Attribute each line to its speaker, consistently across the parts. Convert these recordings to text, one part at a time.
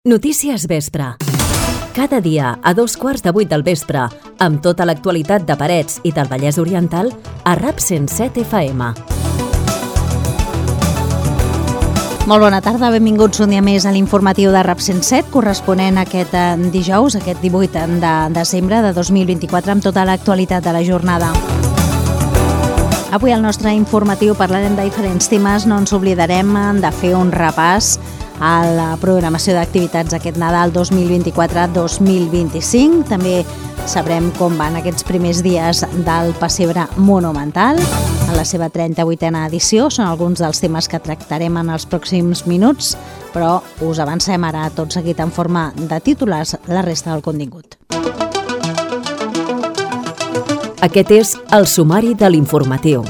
Speaker 1: Notícies Vespre. Cada dia a 7:15 del vespre, amb tota l'actualitat de Parets i del Vallès Oriental, a RAP 107 FM.
Speaker 2: Molt bona tarda, benvinguts un dia més a l'informatiu de RAP 107, corresponent a aquest dijous, aquest 18 de desembre de 2024, amb tota l'actualitat de la jornada. Avui al nostre informatiu parlarem de diferents temes, no ens oblidarem de fer un repàs a la programació d'activitats aquest Nadal 2024-2025. També sabrem com van aquests primers dies del Pessebre Monumental en la seva 38a edició. Són alguns dels temes que tractarem en els pròxims minuts, però us avancem ara tot seguit en forma de titulars la resta del contingut.
Speaker 1: Aquest és el sumari de l'informatiu.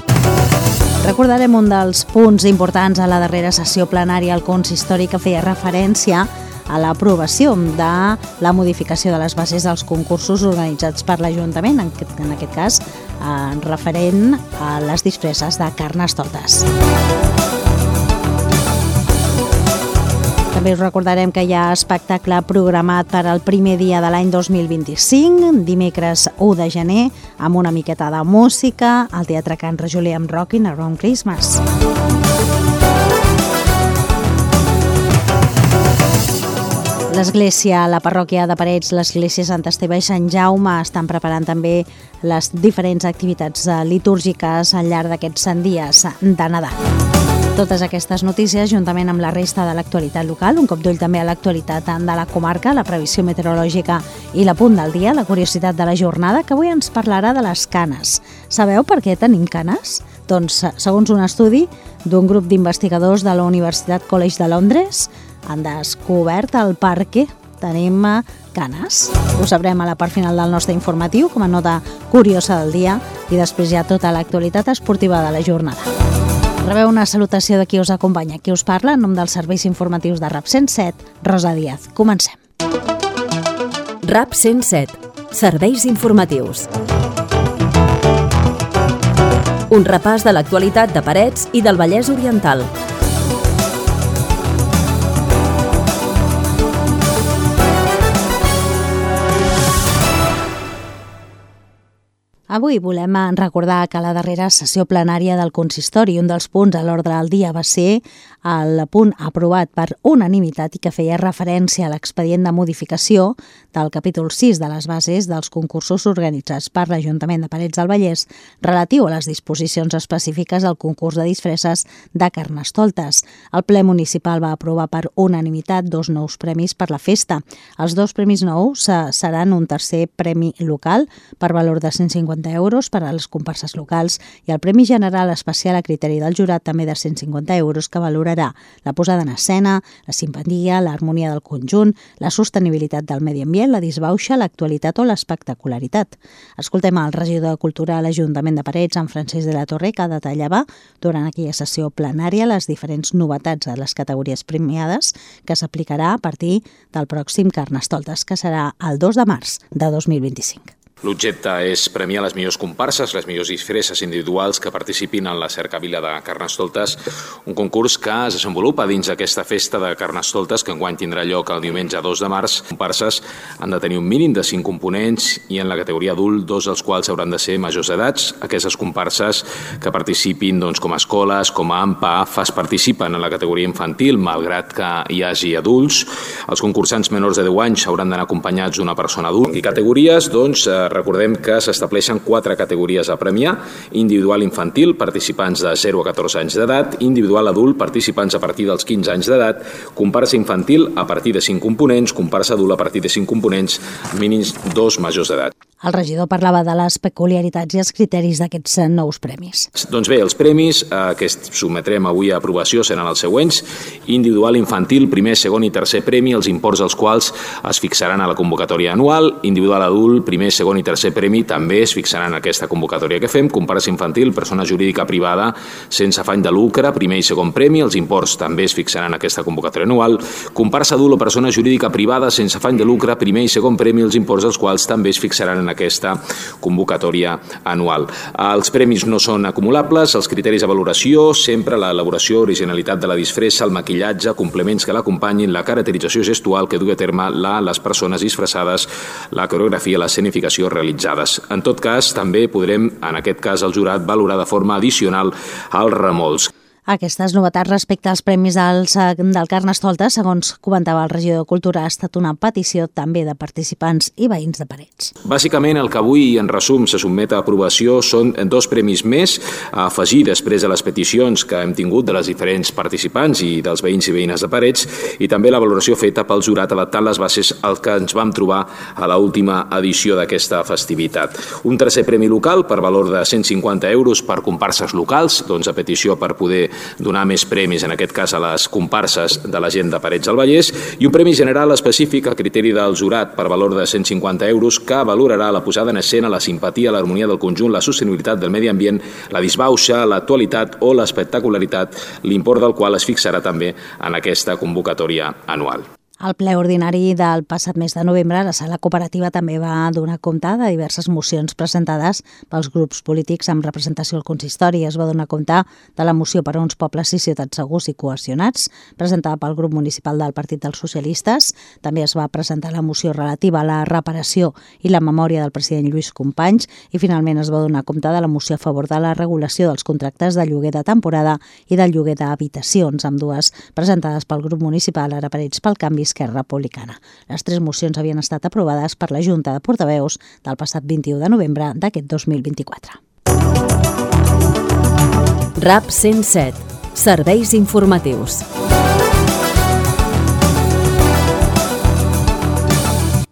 Speaker 2: Recordarem un dels punts importants a la darrera sessió plenària al consistori que feia referència a l'aprovació de la modificació de les bases dels concursos organitzats per l'Ajuntament, en aquest cas referent a les disfresses de Carnestoltes. També us recordarem que hi ha espectacle programat per al primer dia de l'any 2025, dimecres 1 de gener, amb una miqueta de música, al Teatre Can Rajolí amb Rockin' Around Christmas. L'església, la parròquia de Parets, l'església Sant Esteve i Sant Jaume estan preparant també les diferents activitats litúrgiques al llarg d'aquests 100 dies de Nadal. Totes aquestes notícies, juntament amb la resta de l'actualitat local, un cop d'ull també a l'actualitat de la comarca, la previsió meteorològica i l'apunt del dia, la curiositat de la jornada, que avui ens parlarà de les canes. Sabeu per què tenim canes? Doncs, segons un estudi d'un grup d'investigadors de la Universitat College de Londres, han descobert el per què tenim canes. Ho sabrem a la part final del nostre informatiu, com a nota curiosa del dia, i després ja tota l'actualitat esportiva de la jornada. Rebeu una salutació de qui us acompanya, qui us parla, en nom dels serveis informatius de RAP 107, Rosa Díaz. Comencem.
Speaker 1: RAP 107. Serveis informatius. Un repàs de l'actualitat de Parets i del Vallès Oriental.
Speaker 2: Avui volem recordar que a la darrera sessió plenària del consistori, un dels punts a l'ordre del dia va ser el punt aprovat per unanimitat i que feia referència a l'expedient de modificació del capítol 6 de les bases dels concursos organitzats per l'Ajuntament de Parets del Vallès relatiu a les disposicions específiques al concurs de disfresses de Carnestoltes. El ple municipal va aprovar per unanimitat 2 nous premis per la festa. Els 2 premis nous seran un tercer premi local per valor de 150 euros per a les comparses locals i el Premi General Especial a criteri del jurat també de 150 euros que valorarà la posada en escena, la simpatia, l'harmonia del conjunt, la sostenibilitat del medi ambient, la disbauxa, l'actualitat o l'espectacularitat. Escoltem el regidor de Cultura a l'Ajuntament de Parets, en Francesc de la Torre, que detallava durant aquella sessió plenària les diferents novetats a les categories premiades que s'aplicarà a partir del pròxim Carnestoltes, que serà el 2 de març de 2025.
Speaker 3: L'objecte és premiar les millors comparses, les millors disfresses individuals que participin en la cercavila de Carnestoltes, un concurs que es desenvolupa dins d'aquesta festa de Carnestoltes que enguany tindrà lloc el diumenge 2 de març. Les comparses han de tenir un mínim de 5 components i en la categoria adult 2 dels quals hauran de ser majors d'edats. Aquestes comparses que participin com a escoles, com a AMPA, participen en la categoria infantil, malgrat que hi hagi adults. Els concursants menors de 10 anys hauran d'anar acompanyats d'una persona adulta. I categories, recordem que s'estableixen 4 categories a premiar: individual infantil, participants de 0 a 14 anys d'edat; individual adult, participants a partir dels 15 anys d'edat; comparsa infantil a partir de 5 components; comparsa adult a partir de 5 components, mínims 2 majors d'edat.
Speaker 2: El regidor parlava de les peculiaritats i els criteris d'aquests nous premis.
Speaker 3: Doncs bé, els premis que sotmetrem avui a aprovació seran els següents: individual infantil, primer, segon i tercer premi, els imports dels quals es fixaran a la convocatòria anual; individual adult, primer, segon i tercer premi, també es fixaran en aquesta convocatòria que fem; comparsa infantil, persona jurídica privada sense afany de lucre, primer i segon premi, els imports també es fixaran en aquesta convocatòria anual; comparsa adult o persona jurídica privada sense afany de lucre, primer i segon premi, els imports dels quals també es fixaran en en aquesta convocatòria anual. Els premis no són acumulables, els criteris de valoració, sempre l'elaboració, originalitat de la disfressa, el maquillatge, complements que l'acompanyin, la caracterització gestual que dugui a terme les persones disfressades, la coreografia, l'escenificació realitzades. En tot cas, també podrem, en aquest cas, el jurat valorar de forma addicional els remolcs.
Speaker 2: Aquestes novetats respecte als premis del Carnestoltes, segons comentava el regidor de Cultura, ha estat una petició també de participants i veïns de Parets.
Speaker 3: Bàsicament, el que avui, en resum, se sotmet a aprovació són 2 premis més a afegir després de les peticions que hem tingut de les diferents participants i dels veïns i veïnes de Parets, i també la valoració feta pel jurat adaptant les bases al que ens vam trobar a l'última edició d'aquesta festivitat. Un tercer premi local per valor de 150 euros per comparses locals, a petició per poder donar més premis, en aquest cas a les comparses de la gent de Parets del Vallès, i un premi general específic a criteri del jurat per valor de 150 euros que valorarà la posada en escena, la simpatia, l'harmonia del conjunt, la sostenibilitat del medi ambient, la disbauxa, l'actualitat o l'espectacularitat, l'import del qual es fixarà també en aquesta convocatòria anual.
Speaker 2: Al ple ordinari del passat mes de novembre, la Sala Cooperativa també va donar compte de diverses mocions presentades pels grups polítics amb representació al consistori. Es va donar compte de la moció per a uns pobles i ciutats segurs i cohesionats, presentada pel grup municipal del Partit dels Socialistes. També es va presentar la moció relativa a la reparació i la memòria del president Lluís Companys i finalment es va donar compte de la moció a favor de la regulació dels contractes de lloguer de temporada i del lloguer d'habitacions, ambdues presentades pel grup municipal Ara Parets pel Canvi Esquerra Republicana. Les 3 mocions havien estat aprovades per la Junta de Portaveus del passat 21 de novembre d'aquest 2024.
Speaker 1: RAP 107. Serveis informatius.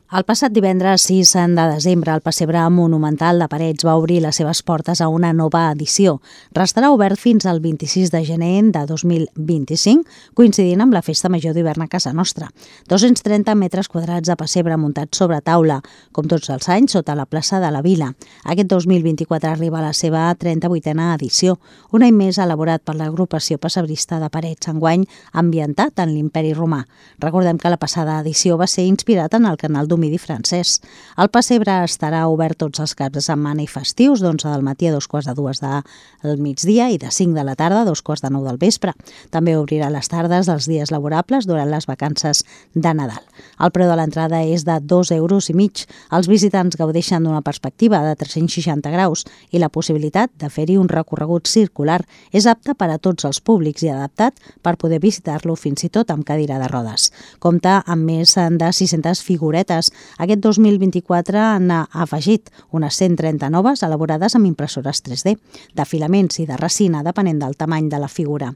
Speaker 2: El passat divendres 6 de desembre, el Pessebre Monumental de Parets va obrir les seves portes a una nova edició. Restarà obert fins al 26 de gener de 2025, coincidint amb la Festa Major d'hivern a casa nostra. 230 metres quadrats de pessebre muntats sobre taula, com tots els anys, sota la plaça de la Vila. Aquest 2024 arriba a la seva 38a edició, un any més elaborat per l'agrupació pessebrista de Parets, enguany ambientat en l'Imperi Romà. Recordem que la passada edició va ser inspirat en el canal Domidi francès. El pessebre estarà obert tots els caps de setmana i festius, d'11 del matí a 2:45 del migdia i de 5 de la tarda a 2:45 del vespre. També obrirà les tardes dels dies laborables durant les vacances de Nadal. El preu de l'entrada és de 2,5 euros. Els visitants gaudeixen d'una perspectiva de 360 graus i la possibilitat de fer-hi un recorregut circular. És apte per a tots els públics i adaptat per poder visitar-lo fins i tot amb cadira de rodes. Compta amb més de 600 figuretes. Aquest 2024 n'ha afegit unes 130 noves elaborades amb impressores 3D, de filaments i de resina, depenent del tamany de la figura.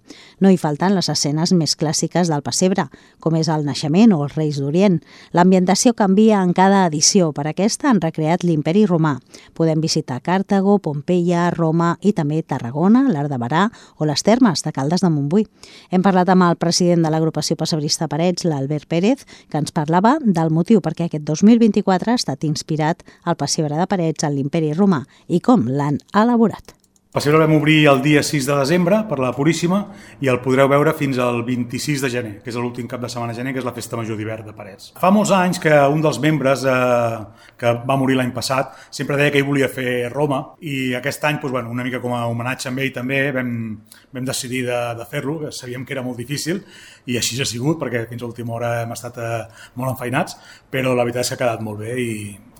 Speaker 2: No hi falten les escenes més clàssiques del pessebre, com és el naixement o els Reis d'Orient. L'ambientació canvia en cada edició. Per aquesta han recreat l'Imperi Romà. Podem visitar Càrtago, Pompeia, Roma i també Tarragona, l'Arc de Berà o les Termes de Caldes de Montbui. Hem parlat amb el president de l'agrupació pessebrista Parets, l'Albert Pérez, que ens parlava del motiu perquè aquest 2024 ha estat inspirat al pessebre de Parets en l'Imperi Romà i com l'han elaborat.
Speaker 4: El pessebre el vam obrir el dia 6 de desembre per la Puríssima i el podreu veure fins al 26 de gener, que és l'últim cap de setmana de gener, que és la Festa Major d'hivern de Parets. Fa molts anys que un dels membres que va morir l'any passat sempre deia que ell volia fer Roma i aquest any, una mica com a homenatge amb ell també, vam decidir de fer-lo, que sabíem que era molt difícil i així ha sigut, perquè fins a l'última hora hem estat molt enfeinats, però la veritat és que ha quedat molt bé i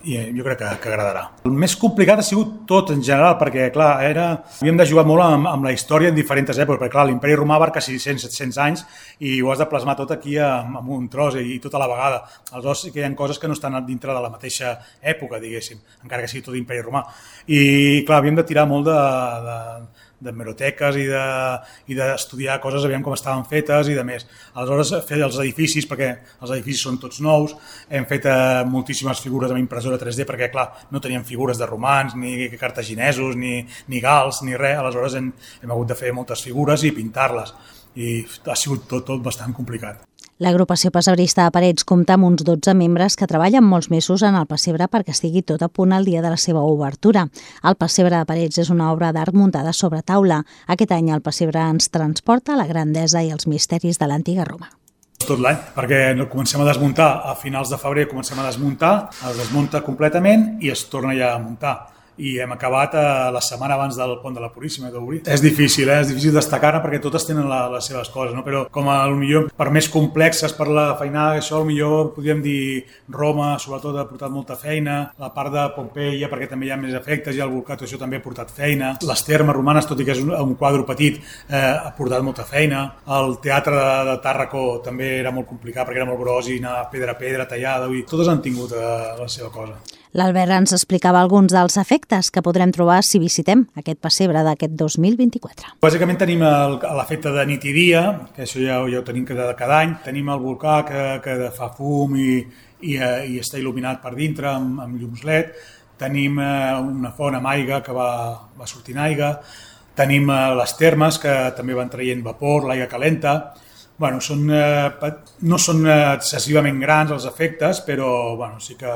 Speaker 4: jo crec que agradarà. El més complicat ha sigut tot en general, perquè clar, havíem de jugar molt amb la història en diferents èpoques, perquè clar, l'Imperi Romà abarca 600-700 anys i ho has de plasmar tot aquí amb un tros i tot a la vegada. Aleshores sí que hi ha coses que no estan dintre de la mateixa època, diguéssim, encara que sigui tot l'Imperi Romà. I clar, havíem de tirar molt d'hemeroteques i d'estudiar coses, aviam com estaven fetes i de més. Aleshores, fer els edificis, perquè els edificis són tots nous, hem fet moltíssimes figures amb impressora 3D, perquè, clar, no teníem figures de romans, ni cartaginesos, ni gals, ni res. Aleshores, hem hagut de fer moltes figures i pintar-les. I ha sigut tot bastant complicat.
Speaker 2: L'agrupació pessebrista de Parets compta amb uns 12 membres que treballen molts mesos en el pessebre perquè estigui tot a punt el dia de la seva obertura. El pessebre de Parets és una obra d'art muntada sobre taula. Aquest any el pessebre ens transporta a la grandesa i els misteris de l'antiga Roma.
Speaker 4: Tot tot l'any, perquè comencem a desmuntar, a finals de febrer comencem a desmuntar, es desmunta completament i es torna ja a muntar. I hem acabat la setmana abans del Pont de la Puríssima d'obrir. És difícil destacar-ne perquè totes tenen les seves coses, no? Però com a millor per més complexes per la feinada, això millor podríem dir Roma, sobretot ha portat molta feina, la part de Pompeia perquè també hi ha més efectes i el volcà, això també ha portat feina, les termes romanes, tot i que és un quadre petit, ha portat molta feina, el teatre de Tàrraco també era molt complicat perquè era molt gros i anar pedra a pedra tallada, totes han tingut la seva cosa.
Speaker 2: L'Albert ens explicava alguns dels efectes que podrem trobar si visitem aquest pessebre d'aquest 2024.
Speaker 4: Bàsicament tenim l'efecte de nit i dia, que això ja ho tenim cada any. Tenim el volcà que fa fum i està il·luminat per dintre amb llums LED. Tenim una font amb aigua que va sortint aigua. Tenim les termes que també van traient vapor, l'aigua calenta. Bueno, no són excessivament grans els efectes, però bueno, sí que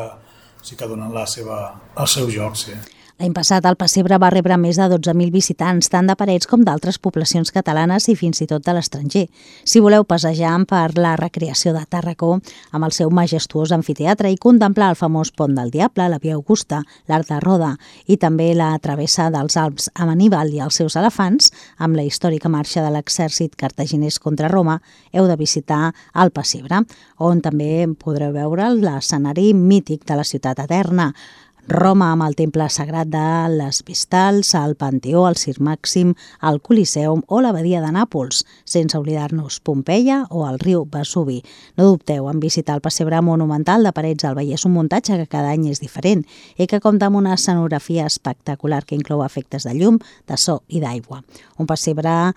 Speaker 4: donen el seu joc, sí.
Speaker 2: L'any passat el pessebre va rebre més de 12.000 visitants, tant de Parets com d'altres poblacions catalanes i fins i tot de l'estranger. Si voleu passejar per la recreació de Tàrraco amb el seu majestuós amfiteatre i contemplar el famós Pont del Diable, la Via Augusta, l'Arc de Roda i també la travessa dels Alps amb Aníbal i els seus elefants, amb la històrica marxa de l'exèrcit cartaginès contra Roma, heu de visitar el pessebre, on també podreu veure l'escenari mític de la ciutat eterna, Roma amb el temple sagrat de les Vestals, el Panteó, el Circ Màxim, el Coliseum o l'abadia de Nàpols, sense oblidar-nos Pompeia o el riu Vesuvi. No dubteu en visitar el pessebre monumental de Parets al Vallès, un muntatge que cada any és diferent i que compta amb una escenografia espectacular que inclou efectes de llum, de so i d'aigua. Un pessebre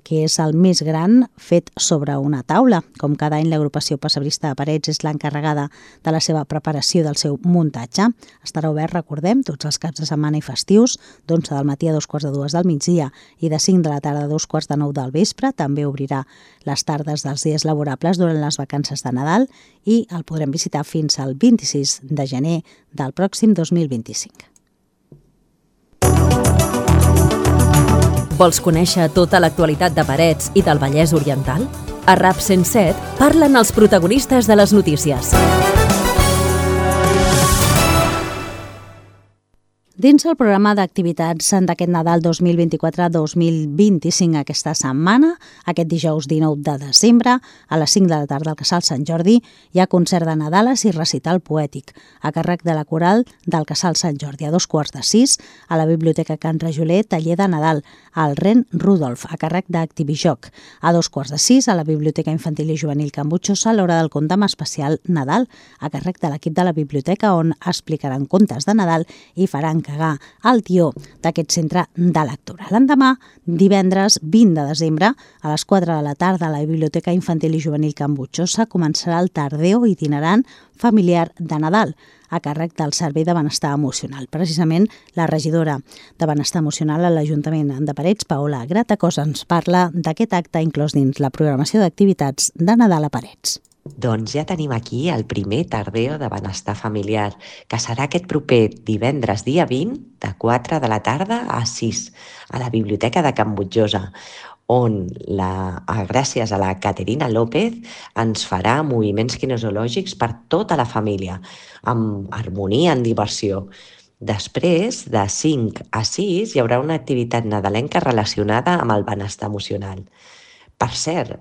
Speaker 2: que és el més gran fet sobre una taula. Com cada any, l'agrupació pessebrista de Parets és l'encarregada de la seva preparació del seu muntatge. Estarà obert, recordem, tots els caps de setmana i festius, d'11 del matí a 2:45 del migdia i de 5 de la tarda a 2:45 del vespre. També obrirà les tardes dels dies laborables durant les vacances de Nadal i el podrem visitar fins al 26 de gener del pròxim 2025.
Speaker 1: Vols conèixer tota l'actualitat de Parets i del Vallès Oriental? A RAP 107 parlen els protagonistes de les notícies.
Speaker 2: Dins el programa d'activitats d'aquest Nadal 2024-2025 aquesta setmana, aquest dijous 19 de desembre, a les 5 de la tarda al Casal Sant Jordi, hi ha concert de Nadales i recital poètic, a càrrec de la coral del Casal Sant Jordi. A 5:45, a la Biblioteca Can Rajoler, taller de Nadal, al Ren Rudolf, a càrrec d'Activijoc. A 5:45, a la Biblioteca Infantil i Juvenil Can Butxosa, a l'hora del conte amb especial Nadal, a càrrec de l'equip de la biblioteca, on explicaran contes de Nadal i faran cagar el tió d'aquest centre de lectura. L'endemà, divendres 20 de desembre, a les 4 de la tarda, a la Biblioteca Infantil i Juvenil Can Butxosa començarà el tardeo itinerant familiar de Nadal, a càrrec del Servei de Benestar Emocional. Precisament, la regidora de Benestar Emocional a l'Ajuntament de Parets, Paola Gratacós, ens parla d'aquest acte inclòs dins la programació d'activitats de Nadal a Parets.
Speaker 5: Doncs ja tenim aquí el primer tardeo de benestar familiar, que serà aquest proper divendres dia 20, de 4 de la tarda a 6, a la Biblioteca de Can Butxosa, on, gràcies a la Caterina López, ens farà moviments kinesiològics per tota la família, amb harmonia, en diversió. Després, de 5 a 6, hi haurà una activitat nadalenca relacionada amb el benestar emocional. Per cert,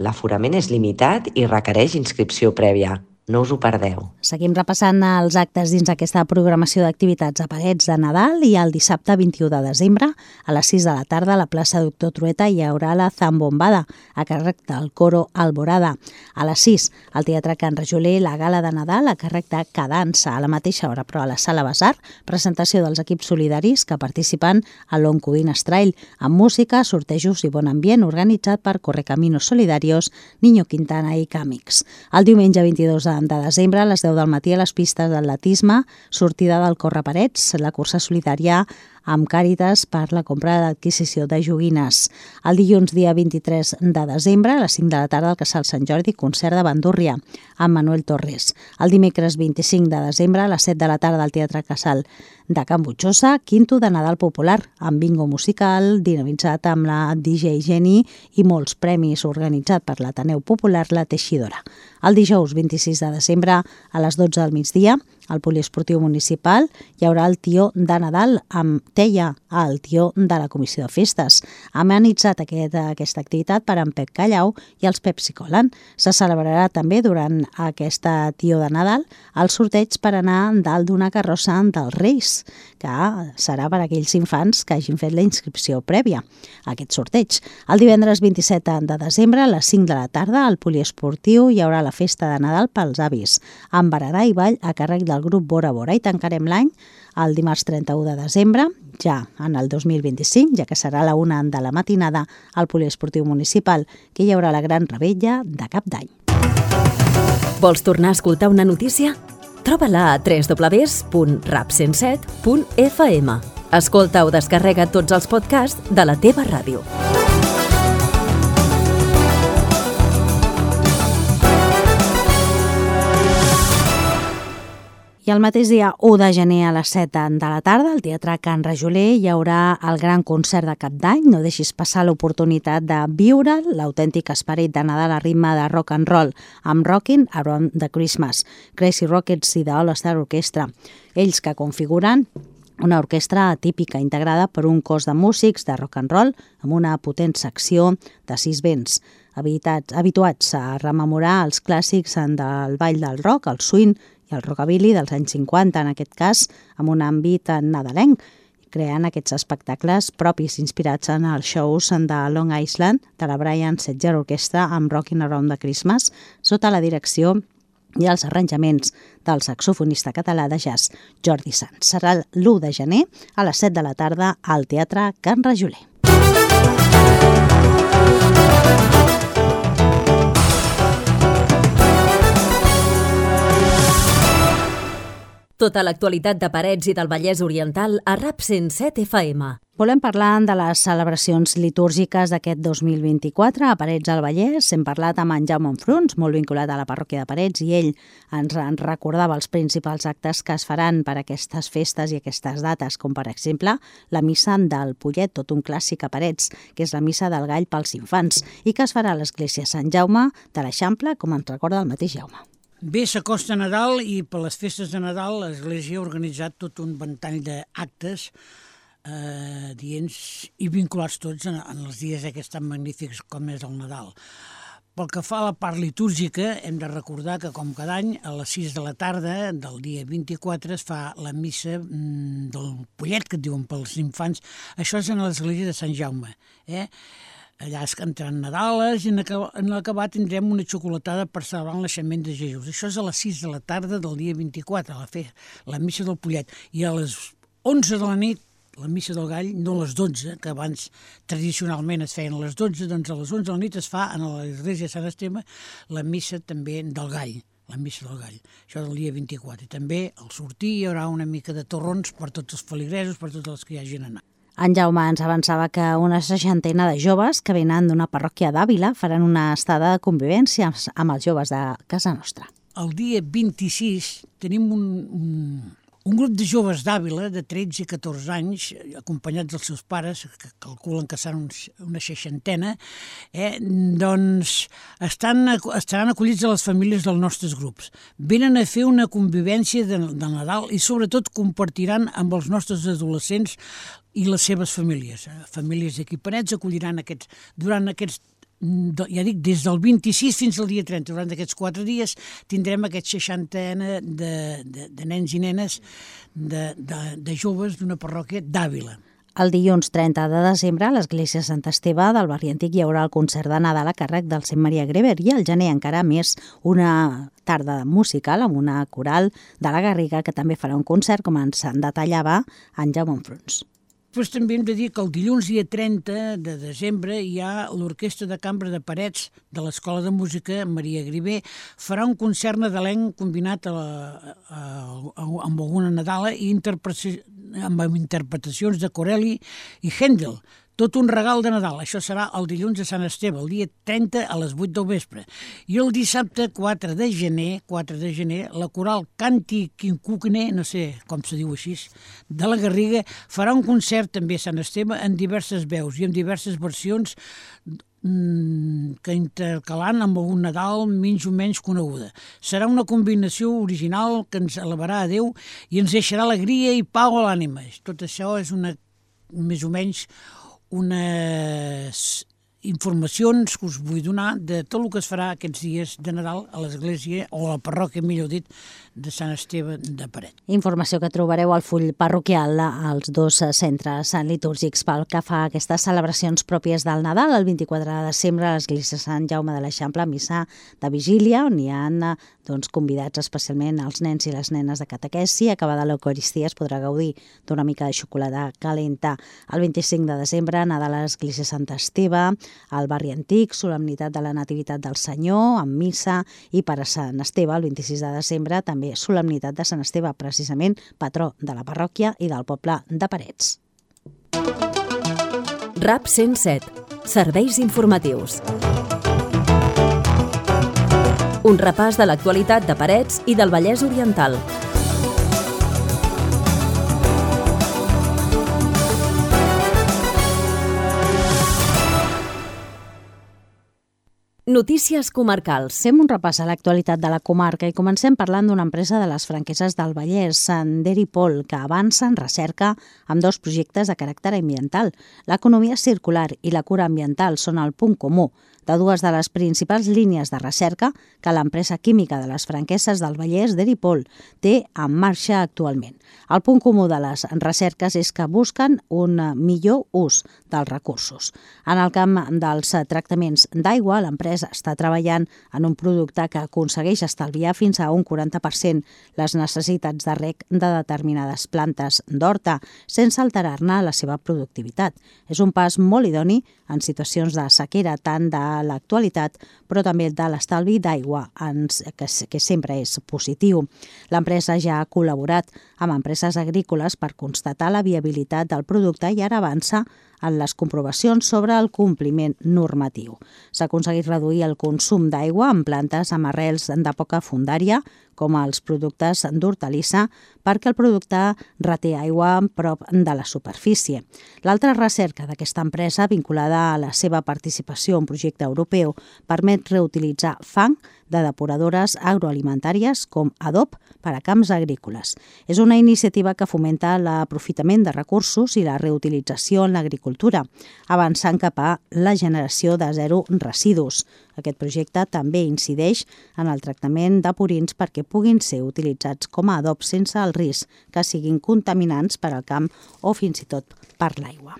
Speaker 5: l'aforament és limitat i requereix inscripció prèvia. No us ho perdeu.
Speaker 2: Seguim repassant els actes dins aquesta programació d'activitats a Parets de Nadal i el dissabte 21 de desembre a les 6 de la tarda a la plaça Doctor Trueta hi haurà la zambombada a càrrec del coro Alborada. A les 6 al Teatre Can Rajoler la gala de Nadal a càrrec de Cadansa. A la mateixa hora, però a la Sala Besar, presentació dels equips solidaris que participen a l'Oncodines Trail amb música, sortejos i bon ambient organitzat per Correcaminos Solidarios, Niño Quintana i Càmics. El diumenge 22 de desembre, a les 10 del matí, a les pistes d'atletisme, sortida del Corre Parets, la cursa solidària amb Càritas per la compra d'adquisició de joguines. El dilluns, dia 23 de desembre, a les 5 de la tarda al Casal Sant Jordi, concert de bandúrria amb Manuel Torres. El dimecres 25 de desembre, a les 7 de la tarda al Teatre Casal de Can Butxosa, quinto de Nadal popular, amb bingo musical, dinamitzat amb la DJ Jenny i molts premis, organitzat per l'Ateneu Popular La Teixidora. El dijous 26 de desembre, a les 12 del migdia, al Poliesportiu Municipal hi haurà el tió de Nadal amb teia, el tió de la Comissió de Festes. Ha amenitzat aquesta activitat per en Pep Callau i els Pepsi Cola. Se celebrarà també durant aquesta tió de Nadal el sorteig per anar dalt d'una carrossa dels Reis, que serà per a aquells infants que hagin fet la inscripció prèvia a aquest sorteig. El divendres 27 de desembre, a les 5 de la tarda, al Poliesportiu hi haurà la festa de Nadal pels avis, amb berenar i ball a càrrec del grup Bora Bora, i tancarem l'any el dimarts 31 de desembre, ja en el 2025, ja que serà a la 1 de la matinada al Poliesportiu Municipal, que hi haurà la gran revetlla de Cap d'Any.
Speaker 1: Vols tornar a escoltar una notícia? Troba-la a www.rap107.fm. Escolta o descarrega tots els podcasts de la teva ràdio.
Speaker 2: I el mateix dia 1 de gener a les 7 de la tarda, al Teatre Can Rajoler, hi haurà el gran concert de Cap d'Any. No deixis passar l'oportunitat de viure l'autèntic esperit de Nadal a ritme de rock and roll, amb Rockin' Around the Christmas, Crazy Rockets i The All Star Orchestra. Ells que configuren una orquestra típica integrada per un cos de músics de rock and roll amb una potent secció de 6 vents, habituats a rememorar els clàssics del ball del rock, el swing i el rockabilly dels anys 50, en aquest cas amb un àmbit nadalenc, creant aquests espectacles propis inspirats en els shows de Long Island de la Brian Setzer Orchestra amb Rockin' Around the Christmas, sota la direcció i els arranjaments del saxofonista català de jazz Jordi Sanz. Serà l'1 de gener a les 7 de la tarda al Teatre Can Rajoler.
Speaker 1: Tota l'actualitat de Parets i del Vallès Oriental a RAP 107 FM.
Speaker 2: Volem parlar de les celebracions litúrgiques d'aquest 2024 a Parets del Vallès. Hem parlat amb en Jaume Enfruns, molt vinculat a la parròquia de Parets, i ell ens recordava els principals actes que es faran per aquestes festes i aquestes dates, com per exemple la missa del Pollet, tot un clàssic a Parets, que és la missa del gall pels infants, i que es farà a l'església Sant Jaume de l'Eixample, com ens recorda el mateix Jaume.
Speaker 6: Bé, s'acosta Nadal i per les festes de Nadal l'Església ha organitzat tot un ventall d'actes dients i vinculats tots en els dies aquests tan magnífics com és el Nadal. Pel que fa a la part litúrgica, hem de recordar que, com cada any, a les 6 de la tarda del dia 24 es fa la missa del Pollet, que et diuen pels infants. Això és en l'església de Sant Jaume, Allà es cantaran Nadales i en l'acabat tindrem una xocolatada per celebrar el naixement de Jesús. Això és a les 6 de la tarda del dia 24, la missa del Pollet. I a les 11 de la nit, la missa del gall, no a les 12, que abans tradicionalment es feien a les 12, doncs a les 11 de la nit es fa a l'església de Sant Esteve la missa també del gall, la missa del gall. Això del dia 24. I també al sortir hi haurà una mica de torrons per tots els feligresos, per tots els que hi hagin anat.
Speaker 2: En Jaume ens avançava que una 60ena de joves que venen d'una parròquia d'Àvila faran una estada de convivència amb els joves de casa nostra.
Speaker 6: El dia 26 tenim un grup de joves d'Àvila de 13 i 14 anys, acompanyats dels seus pares, que calculen que seran una 60ena, doncs estaran acollits a les famílies dels nostres grups. Venen a fer una convivència de Nadal i sobretot compartiran amb els nostres adolescents i les seves famílies. Famílies d'aquí Parets acolliran durant aquests, ja dic, des del 26 fins al dia 30, durant aquests 4 dies tindrem aquest 60ena de nens i nenes de joves d'una parròquia d'Àvila.
Speaker 2: El dilluns 30 de desembre a l'església Sant Esteve del barri antic hi haurà el concert de Nadal a càrrec del Sant Maria Greber i al gener encara més una tarda musical amb una coral de la Garriga que també farà un concert, com ens en detallava en Jaume Enfruns.
Speaker 6: Després també hem de dir que el dilluns dia 30 de desembre hi ha l'Orquestra de Cambra de Parets de l'Escola de Música Maria Griver. Farà un concert nadalenc combinat amb alguna Nadala i amb interpretacions de Corelli i Händel. Tot un regal de Nadal. Això serà el dilluns de Sant Esteve, el dia 30 a les 8 del vespre. I el dissabte 4 de gener, la coral Canti Quincugne, no sé com se diu així, de la Garriga, farà un concert també a Sant Esteve en diverses veus i en diverses versions que intercalant amb algun Nadal menys o menys coneguda. Serà una combinació original que ens elevarà a Déu i ens deixarà alegria i pau a l'ànima. Tot això és més o menys unes informacions que us vull donar de tot el que es farà aquests dies de Nadal a l'església, o a la parròquia, millor dit, de Sant Esteve de Paret.
Speaker 2: Informació que trobareu al full parroquial als dos centres litúrgics pel que fa a aquestes celebracions pròpies del Nadal. El 24 de desembre a l'església Sant Jaume de l'Eixample, missa de vigília, on hi ha convidats especialment els nens i les nenes de catequesi. Acabada l'Eucaristia es podrà gaudir d'una mica de xocolata calenta. El 25 de desembre, Nadal a l'església Sant Esteve, al barri antic, solemnitat de la Nativitat del Senyor, amb missa, i per a Sant Esteve, el 26 de desembre, també solemnitat de Sant Esteve, precisament patró de la parròquia i del poble de Parets.
Speaker 1: RAP 107. Serveis informatius. Un repàs de l'actualitat de Parets i del Vallès Oriental. Notícies comarcals.
Speaker 2: Fem un repàs a l'actualitat de la comarca i comencem parlant d'una empresa de les Franqueses del Vallès, Deripol, que avança en recerca amb dos projectes de caràcter ambiental. L'economia circular i la cura ambiental són el punt comú de dues de les principals línies de recerca que l'empresa química de les Franqueses del Vallès, Deripol, té en marxa actualment. El punt comú de les recerques és que busquen un millor ús dels recursos. En el camp dels tractaments d'aigua, l'empresa està treballant en un producte que aconsegueix estalviar fins a un 40% les necessitats de reg de determinades plantes d'horta, sense alterar-ne la seva productivitat. És un pas molt idoni en situacions de sequera, tant de l'actualitat, però també de l'estalvi d'aigua, que sempre és positiu. L'empresa ja ha col·laborat amb empreses agrícoles per constatar la viabilitat del producte i ara avança en les comprovacions sobre el compliment normatiu. S'ha aconseguit reduir el consum d'aigua en plantes amb arrels de poca fondària, com els productes d'hortalissa, perquè el producte reté aigua prop de la superfície. L'altra recerca d'aquesta empresa, vinculada a la seva participació en un projecte europeu, permet reutilitzar fang de depuradores agroalimentàries com adob per a camps agrícoles. És una iniciativa que fomenta l'aprofitament de recursos i la reutilització en l'agricultura, avançant cap a la generació de zero residus. Aquest projecte també incideix en el tractament de purins perquè puguin ser utilitzats com a adob sense el risc que siguin contaminants per al camp o fins i tot per l'aigua.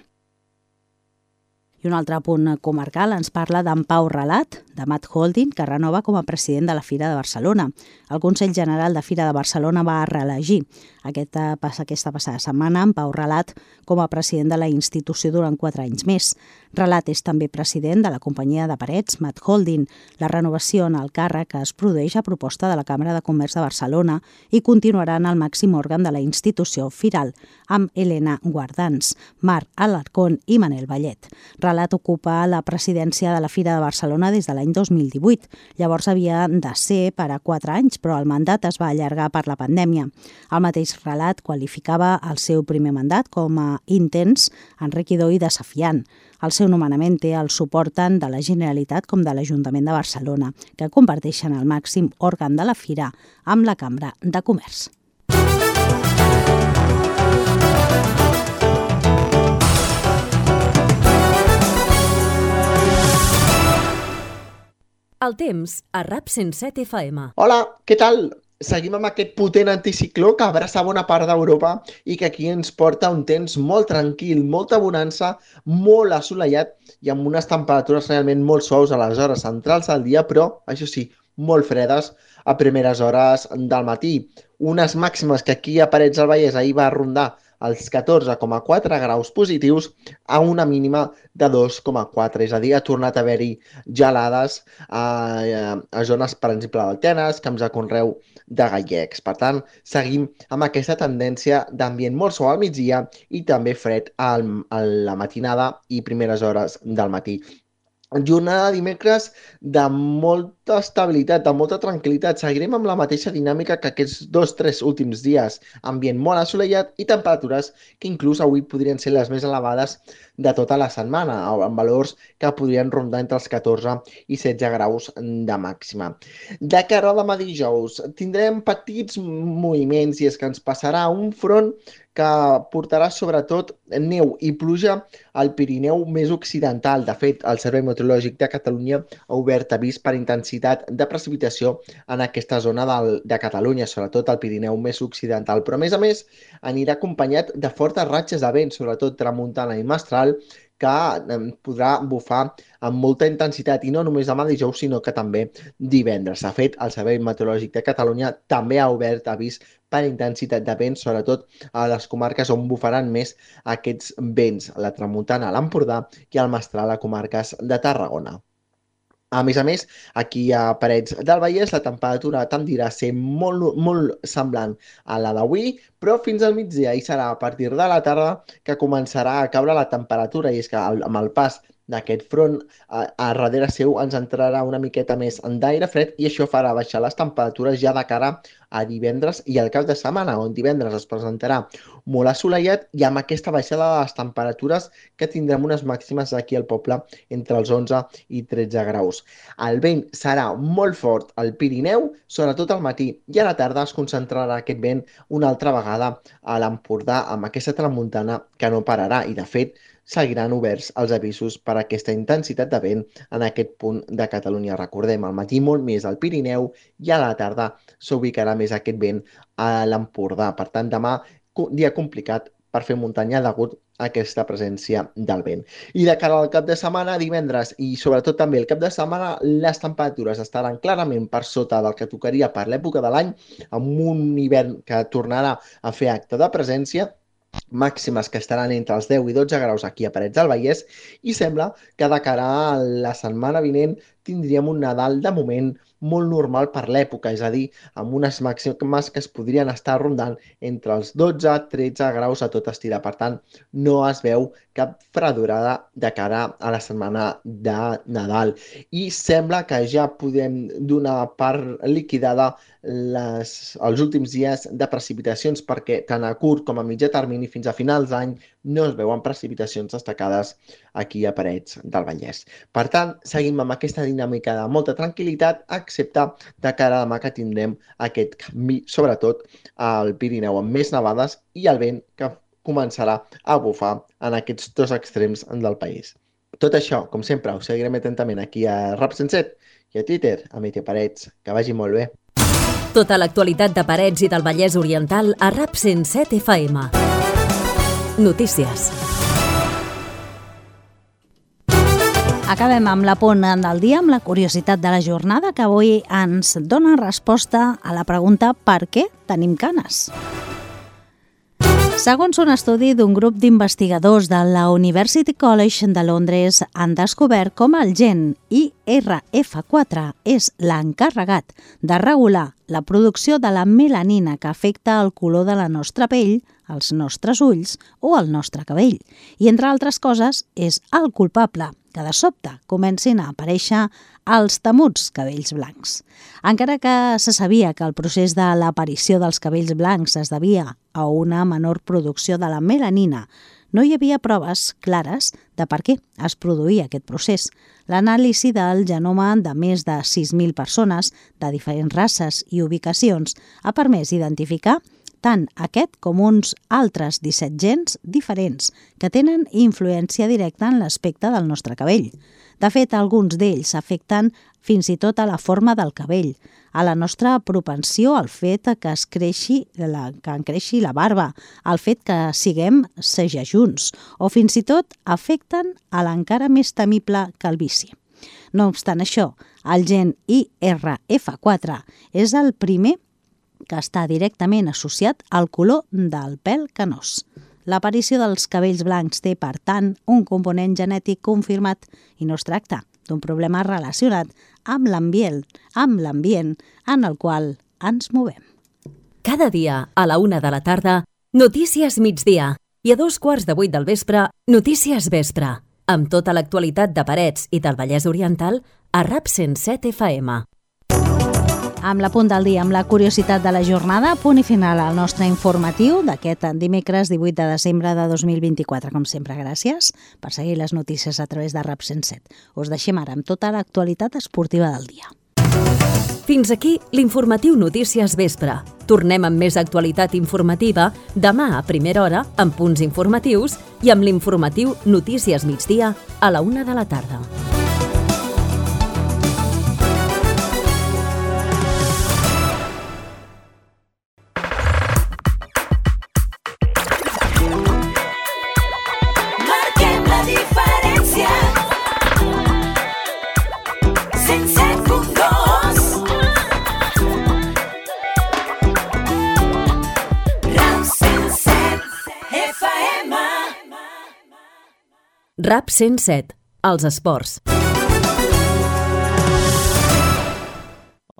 Speaker 2: I un altre punt comarcal ens parla d'en Pau Relat, de Matt Holding, que renova com a president de la Fira de Barcelona. El Consell General de Fira de Barcelona va reelegir aquesta passada setmana en Pau Relat com a president de la institució durant 4 anys més. Relat és també president de la companyia de Parets, Matt Holding. La renovació en el càrrec es produeix a proposta de la Càmera de Comerç de Barcelona i continuarà en el màxim òrgan de la institució firal, amb Helena Guardans, Marc Alarcón i Manel Vallet. Relat ocupa la presidència de la Fira de Barcelona des de l'any 2018. Llavors havia de ser per a 4 anys, però el mandat es va allargar per la pandèmia. El mateix Relat qualificava el seu primer mandat com a intens, enriquidor i desafiant. El seu nomenament té el suport tant de la Generalitat com de l'Ajuntament de Barcelona, que comparteixen el màxim òrgan de la Fira amb la Cambra de Comerç.
Speaker 1: El temps a RAP 107 FM.
Speaker 7: Hola, què tal? Seguim amb aquest potent anticicló que abraça bona part d'Europa i que aquí ens porta un temps molt tranquil, molta bonança, molt assolellat i amb unes temperatures realment molt suaus a les hores centrals del dia, però, això sí, molt fredes a primeres hores del matí. Unes màximes que aquí a Parets del Vallès ahir va rondar als 14,4 graus positius a una mínima de 2,4. És a dir, ha tornat a haver-hi gelades a zones, per exemple, d'Altenes, camps de conreu de gallecs. Per tant, seguim amb aquesta tendència d'ambient molt suau al migdia i també fred a la matinada i primeres hores del matí. Jornada de dimecres de molta estabilitat, de molta tranquil·litat. Seguirem amb la mateixa dinàmica que aquests 2-3 últims dies. Ambient molt assolellat i temperatures que inclús avui podrien ser les més elevades de tota la setmana, amb valors que podrien rondar entre els 14 i 16 graus de màxima. De cara a demà dijous, tindrem petits moviments i és que ens passarà un front que portarà sobretot neu i pluja al Pirineu més occidental. De fet, el Servei Meteorològic de Catalunya ha obert avís per intensitat de precipitació en aquesta zona de Catalunya, sobretot al Pirineu més occidental. Però, a més, anirà acompanyat de fortes ratxes de vent, sobretot tramuntana i mestral, que podrà bufar amb molta intensitat, i no només demà dijous, sinó que també divendres. De fet, el Servei Meteorològic de Catalunya també ha obert avís per intensitat de vent, sobretot a les comarques on bufaran més aquests vents, la tramuntana a l'Empordà i el mestral a comarques de Tarragona. A més, aquí a Parets del Vallès la temperatura tendirà a ser molt semblant a la d'avui, però fins al migdia i serà a partir de la tarda que començarà a caure la temperatura, i és que amb el pas d'aquest front a darrere seu ens entrarà una miqueta més d'aire fred i això farà baixar les temperatures ja de cara a divendres i al cap de setmana, on divendres es presentarà molt assolellat i amb aquesta baixada de les temperatures que tindrem unes màximes aquí al poble entre els 11 i 13 graus. El vent serà molt fort al Pirineu, sobretot al matí, i a la tarda es concentrarà aquest vent una altra vegada a l'Empordà amb aquesta tramuntana que no pararà i, de fet, seguiran oberts els avisos per a aquesta intensitat de vent en aquest punt de Catalunya. Recordem, al matí molt més al Pirineu i a la tarda s'ubicarà més aquest vent a l'Empordà. Per tant, demà, dia complicat per fer muntanya degut a aquesta presència del vent. I de cara al cap de setmana, divendres i sobretot també el cap de setmana, les temperatures estaran clarament per sota del que tocaria per l'època de l'any, amb un hivern que tornarà a fer acte de presència, màximes que estaran entre els 10 i 12 graus aquí a Parets del Vallès, i sembla que de cara a la setmana vinent tindríem un Nadal de moment molt normal per l'època, és a dir, amb unes màximes que es podrien estar rondant entre els 12-13 graus a tot estirar. Per tant, no es veu cap fredorada de cara a la setmana de Nadal. I sembla que ja podem donar per liquidada els últims dies de precipitacions, perquè tant a curt com a mitjà termini fins a finals d'any no es veuen precipitacions destacades aquí a Parets del Vallès. Per tant, seguim amb aquesta dinàmica de molta tranquil·litat, excepte de cara a demà que tindrem aquest canvi, sobretot al Pirineu, amb més nevades i el vent que començarà a bufar en aquests dos extrems del país. Tot això, com sempre, us seguirem atentament aquí a Rap 107 i a Twitter, a Meteor Parets. Que vagi molt bé.
Speaker 1: Tota l'actualitat de Parets i del Vallès Oriental a Rap 107 FM. Notícies.
Speaker 2: Acabem amb l'apunt del dia, amb la curiositat de la jornada, que avui ens dona resposta a la pregunta per què tenim canes. Segons un estudi d'un grup d'investigadors de la University College de Londres, han descobert com el gen IRF4 és l'encarregat de regular la producció de la melanina que afecta el color de la nostra pell, els nostres ulls o el nostre cabell. I, entre altres coses, és el culpable que de sobte comencin a aparèixer els temuts cabells blancs. Encara que se sabia que el procés de l'aparició dels cabells blancs es devia a una menor producció de la melanina, no hi havia proves clares de per què es produïa aquest procés. L'anàlisi del genoma de més de 6.000 persones de diferents races i ubicacions ha permès identificar tant aquest com uns altres 17 gens diferents que tenen influència directa en l'aspecte del nostre cabell. De fet, alguns d'ells afecten fins i tot a la forma del cabell, a la nostra propensió al fet que en creixi la barba, al fet que siguem segelluts, o fins i tot afecten a l'encara més temible calvície. No obstant això, el gen IRF4 és el primer que està directament associat al color del pèl canós. L'aparició dels cabells blancs té, per tant, un component genètic confirmat i no es tracta d'un problema relacionat amb l'ambient en el qual ens movem.
Speaker 1: Cada dia, a la 1 de la tarda, Notícies Migdia, i a 2:15 del vespre, Notícies Vespre, amb tota l'actualitat de Parets i del Vallès Oriental a RAP 107 FM.
Speaker 2: Amb la punt del dia, amb la curiositat de la jornada, punt i final al nostre informatiu d'aquest dimecres 18 de desembre de 2024. Com sempre, gràcies per seguir les notícies a través de RAP 107. Us deixem ara amb tota l'actualitat esportiva del dia.
Speaker 1: Fins aquí l'informatiu Notícies Vespre. Tornem amb més actualitat informativa demà a primera hora amb punts informatius i amb l'informatiu Notícies Migdia a la 1 de la tarda.
Speaker 8: Marquem la diferència. 107.2 RAP 107 FM.
Speaker 1: RAP 107, els esports.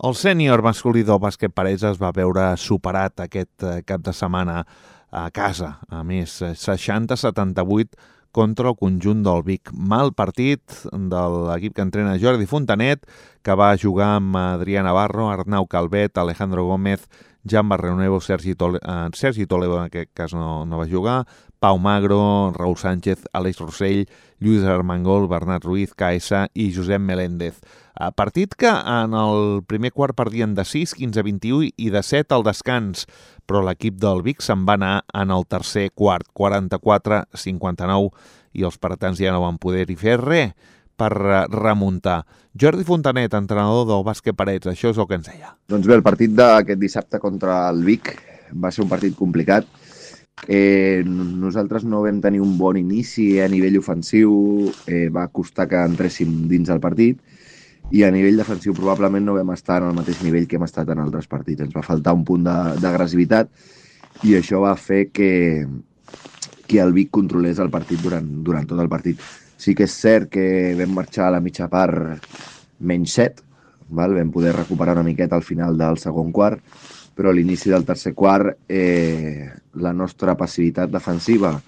Speaker 9: El sènior masculí del bàsquet Parets es va veure superat aquest cap de setmana a casa. A més, 60-78 contra el conjunt del Vic. Mal partit de l'equip que entrena Jordi Fontanet, que va jugar amb Adrià Navarro, Arnau Calvet, Alejandro Gómez, Jan Barrionuevo, Sergi Toledo en aquest cas no va jugar, Pau Magro, Raúl Sánchez, Àlex Rossell, Lluís Armengol, Bernat Ruiz, Caesa i Josep Meléndez. Partit que en el primer quart perdien de 6, 15-21 i de 7 al descans, però l'equip del Vic se'n va anar en el tercer quart, 44-59, i els paratans ja no van poder-hi fer res per remuntar. Jordi Fontanet, entrenador del bàsquet Parets, això és el que ens deia.
Speaker 10: Doncs bé, el partit d'aquest dissabte contra el Vic va ser un partit complicat. Nosaltres no vam tenir un bon inici a nivell ofensiu, va costar que entréssim dins el partit, i a nivell defensiu probablement no vam estar en el mateix nivell que hem estat en altres partits. Ens va faltar un punt d'agressivitat i això va fer que el Vic controlés el partit durant tot el partit. Sí que és cert que vam marxar a la mitja part -7, vam poder recuperar una miqueta al final del segon quart, però a l'inici del tercer quart la nostra passivitat defensiva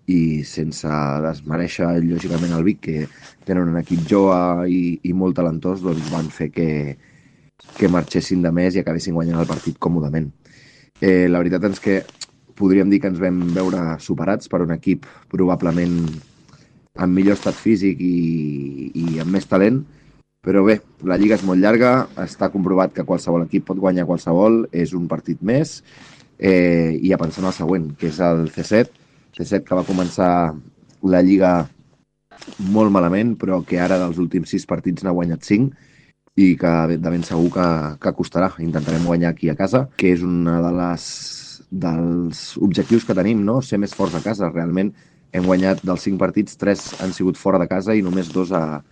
Speaker 10: i sense desmereixer lògicament el Vic, que tenen un equip jove i molt talentós, doncs van fer que marxessin de més i acabessin guanyant el partit còmodament. La veritat és que podríem dir que ens vam veure superats per un equip probablement amb millor estat físic i amb més talent, però bé, la lliga és molt llarga, està comprovat que qualsevol equip pot guanyar qualsevol, és un partit més, i a pensar en el següent, que és el C7, que va començar la lliga molt malament, però que ara dels últims 6 partits n'ha guanyat 5 i que de ben segur que costarà. Intentarem guanyar aquí a casa, que és un dels objectius que tenim, no? Ser més forts a casa. Realment hem guanyat dels 5 partits, 3 han sigut fora de casa i només 2 a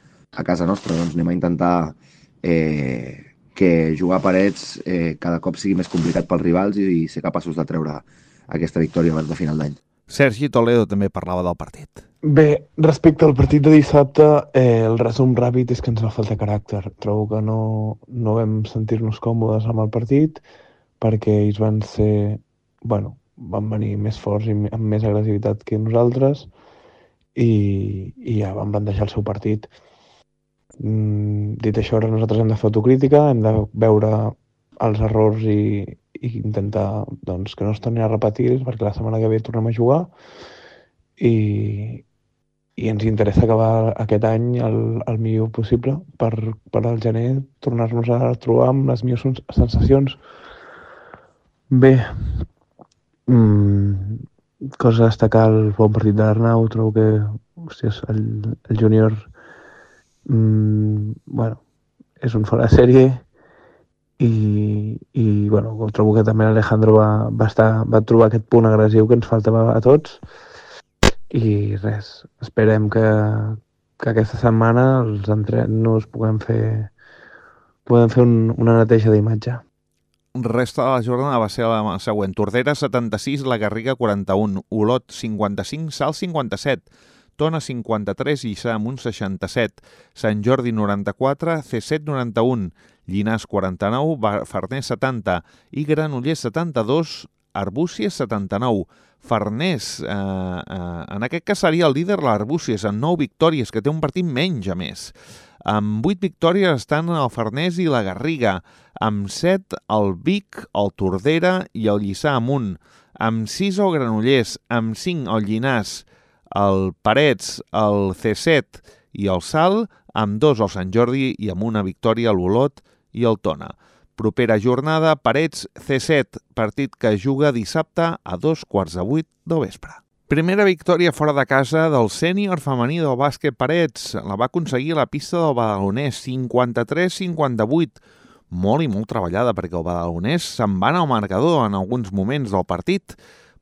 Speaker 10: casa nostra. Doncs anem a intentar que jugar a Parets cada cop sigui més complicat pels rivals i ser capaços de treure aquesta victòria abans de final d'any.
Speaker 9: Sergi Toledo també parlava del partit.
Speaker 11: Bé, respecte al partit de dissabte, el resum ràpid és que ens va faltar caràcter. Trobo que no vam sentir-nos còmodes amb el partit perquè ells van venir més forts i amb més agressivitat que nosaltres i ja van plantejar el seu partit. Dit això, ara nosaltres hem de fer autocrítica, hem de veure els errors i intentar que no es torni a repetir perquè la setmana que ve tornem a jugar i ens interessa acabar aquest any el millor possible per al gener tornar-nos a trobar amb les millors sensacions. Bé, cosa a destacar, el bon partit de l'Arnau, trobo que el júnior és un fora de sèrie i trobo que també l'Alejandro va trobar aquest punt agressiu que ens faltava a tots i res, esperem que aquesta setmana els entrenos puguem fer una neteja d'imatge.
Speaker 9: resta de la jornada va ser la següent. Tordera 76, La Garriga 41, Olot 55, Salt 57, Tona 53, Lliçà Amunt 67, Sant Jordi 94, C7 91, Llinars 49, Farners 70 i Granollers 72, Arbúcies 79. Farners, en aquest cas seria el líder l'Arbúcies, amb 9 victòries, que té un partit menys a més. Amb 8 victòries estan el Farners i la Garriga, amb 7 el Vic, el Tordera i el Lliçà Amunt, amb 6 el Granollers, amb 5 el Llinars, el Parets, el C7 i el Salt, amb 2 el Sant Jordi i amb una victòria l'Olot i el Tona. Propera jornada, Parets C7, partit que juga dissabte a 7:15 del vespre. Primera victòria fora de casa del sènior femení del bàsquet Parets. La va aconseguir a la pista del Badalonès, 53-58. Molt i molt treballada, perquè el Badalonès se'n va anar al marcador en alguns moments del partit,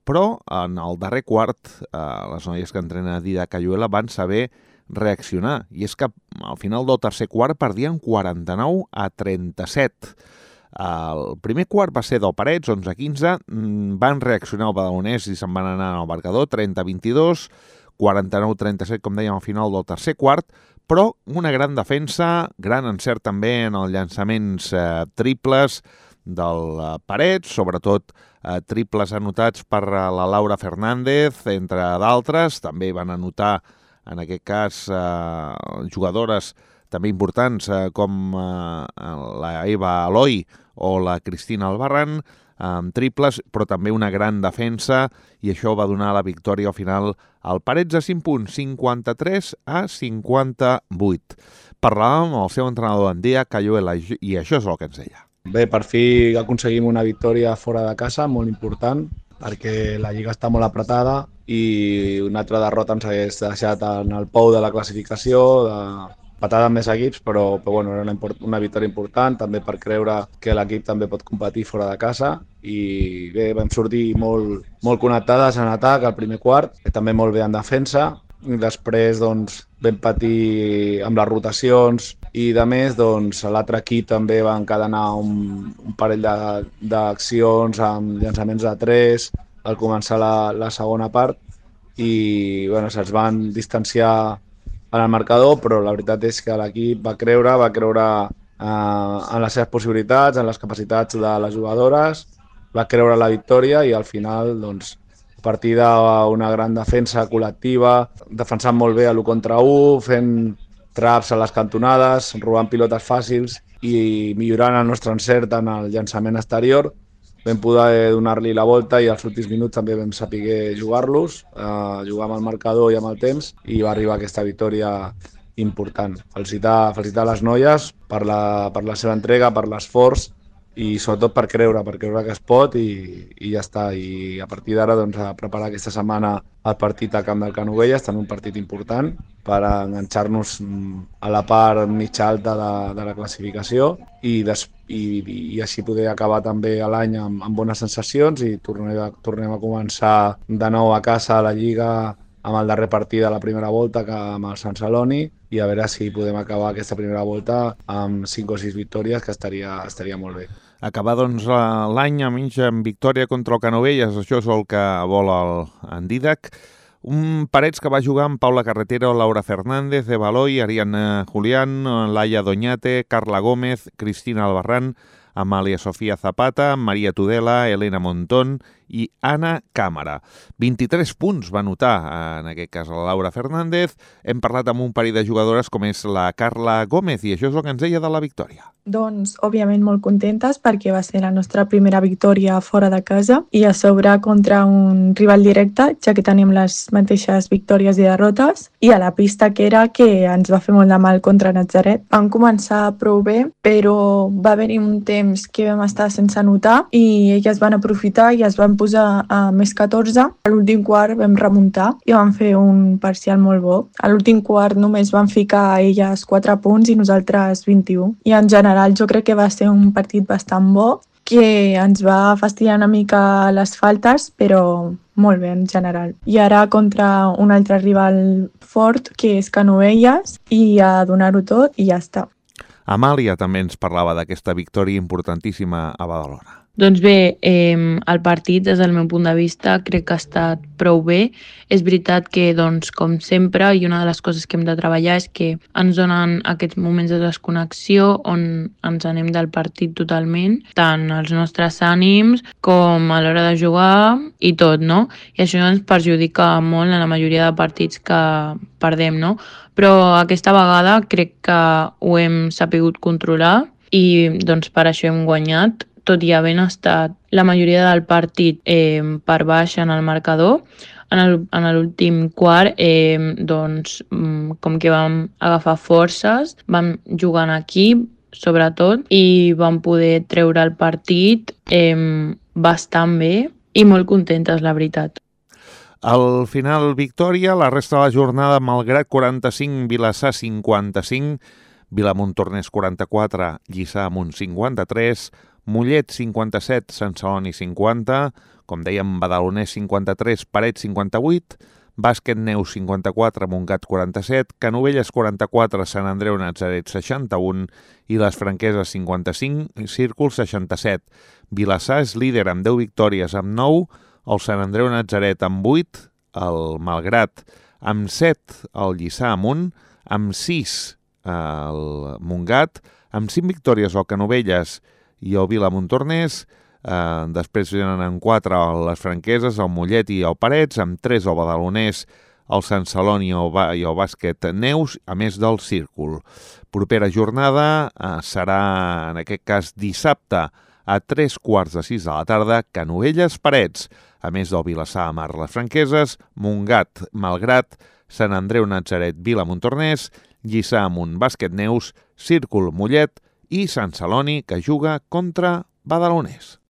Speaker 9: però en el darrer quart les noies que entrena Dida Cayuela van saber reaccionar. I és que al final del tercer quart perdien 49-37. El primer quart va ser del Parets, 11-15, van reaccionar el Badalonès i se'n van anar al marcador, 30-22, 49-37, com dèiem, al final del tercer quart, però una gran defensa, gran encert també en els llançaments triples del Parets, sobretot triples anotats per la Laura Fernández, entre d'altres. També van anotar, en aquest cas, jugadores també importants com la Eva Aloi o la Cristina Albarrán, amb triples, però també una gran defensa, i això va donar la victòria al final al Parets a 5 punts, 53-58. Parlàvem amb el seu entrenador en dia, Cayuela, i això és el que ens deia.
Speaker 12: Bé, per fi aconseguim una victòria fora de casa, molt important, perquè la Lliga està molt apretada i una altra derrota ens hagués deixat en el pou de la classificació, patada amb més equips, però bueno, era una victòria important, també per creure que l'equip també pot competir fora de casa. I bé, vam sortir molt connectades en atac al primer quart, també molt bé en defensa. I després doncs, vam patir amb les rotacions i de més, doncs, l'altre equip també va encadenar un parell d'accions amb llançaments de 3 al començar la segona part i bueno, se'ls van distanciar en el marcador, però la veritat és que l'equip va creure en les seves possibilitats, en les capacitats de les jugadores, va creure la victòria i al final, doncs, a partir d'una gran defensa col·lectiva, defensant molt bé a l'1 contra 1, fent traps a les cantonades, robant pilotes fàcils i millorant el nostre encert en el llançament exterior, vam poder donar-li la volta i als últims minuts també vam saber jugar-los, jugar amb el marcador i amb el temps, i va arribar aquesta victòria important. Felicitar les noies per la seva entrega, per l'esforç i sobretot per creure que es pot i ja està. I a partir d'ara doncs, a preparar aquesta setmana el partit al camp del Canovelles, també un partit important per enganxar-nos a la part mitja alta de la classificació i així poder acabar també l'any amb bones sensacions i tornem a començar de nou a casa a la Lliga amb el darrer partit de la primera volta amb el Sant Celoni i a veure si podem acabar aquesta primera volta amb 5 o 6 victòries, que estaria molt bé.
Speaker 9: Acabar doncs, l'any amb victòria contra el Canovelles, això és el que vol en Didac. Un Parets que va jugar amb Paula Carretero, Laura Fernández, Eva Aloi, Ariana Julián, Laia Doñate, Carla Gómez, Cristina Albarrán, Amàlia Sofia Zapata, Maria Tudela, Elena Montón i Anna Càmara. 23 punts va anotar, en aquest cas, la Laura Fernández. Hem parlat amb un parell de jugadores com és la Carla Gómez i això és el que ens deia de la victòria.
Speaker 13: Doncs, òbviament, molt contentes perquè va ser la nostra primera victòria fora de casa i a sobre contra un rival directe, ja que tenim les mateixes victòries i derrotes, i a la pista que era que ens va fer molt de mal contra Natzaret. Vam començar prou bé, però va haver-hi un temps que vam estar sense anotar i elles van aprofitar i es van posar a més 14. A l'últim quart vam remuntar i vam fer un parcial molt bo. A l'últim quart només van ficar elles 4 punts i nosaltres 21. I en general jo crec que va ser un partit bastant bo, que ens va fastidiar una mica les faltes, però molt bé en general. I ara contra un altre rival fort, que és Canovelles, i a donar-ho tot i ja està.
Speaker 9: Amàlia també ens parlava d'aquesta victòria importantíssima a Badalona.
Speaker 14: Doncs bé, el partit, des del meu punt de vista, crec que ha estat prou bé. És veritat que, doncs, com sempre, i una de les coses que hem de treballar és que ens donen aquests moments de desconnexió on ens anem del partit totalment, tant els nostres ànims com a l'hora de jugar i tot, no? I això ens perjudica molt en la majoria de partits que perdem, no? Però aquesta vegada crec que ho hem sapigut controlar i doncs per això hem guanyat, tot i havent estat la majoria del partit per baix en el marcador. En l'últim quart, doncs, com que vam agafar forces, vam jugar en equip, sobretot, i vam poder treure el partit bastant bé i molt contentes, la veritat.
Speaker 9: Al final, victòria, la resta de la jornada, Malgrat 45, Vilassar 55, Vilamontornès 44, Lliçà Amunt 53, Mollet 57, Sant Celoni 50, com dèiem, Badalonès 53, Parets 58, Bàsquet Neus 54, Montgat 47, Canovelles 44, Sant Andreu Natzaret 61 i les Franqueses 55, Círcul 67. Vilassar és líder amb 10 victòries amb 9, el Sant Andreu Natzaret amb 8, el Malgrat amb 7, el Lliçà Amunt, amb 6 el Montgat, amb 5 victòries el Canovelles i el Vilamontornès, després venen en 4 les Franqueses, el Mollet i el Parets, amb 3 el Badalonès, el Sant Celoni i el Bàsquet Neus, a més del Círcul. Propera jornada serà, en aquest cas, dissabte a 3:15 de la tarda, Canovelles Parets, a més del Vilassar Mar les Franqueses, Montgat Malgrat, Sant Andreu Natzaret Vilamontornès, Lliçà Amunt Bàsquet Neus, Círcul Mollet i Sant Celoni, que juga contra Badalonès.